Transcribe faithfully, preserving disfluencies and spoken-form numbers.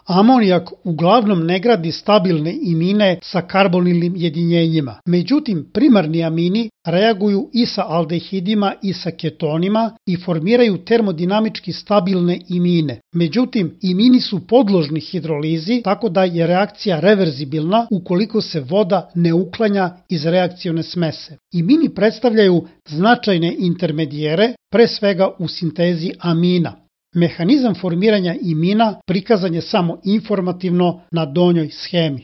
Amonijak uglavnom ne gradi stabilne imine sa karbonilnim jedinjenjima. Međutim, primarni amini reaguju i sa aldehidima i sa ketonima i formiraju termodinamički stabilne imine. Međutim, imini su podložni hidrolizi, tako da je reakcija reverzibilna ukoliko se voda ne uklanja iz reakcione smese. Imini predstavljaju značajne intermedijere, pre svega u sintezi amina. Mehanizam formiranja imina prikazan je samo informativno na donjoj schemi.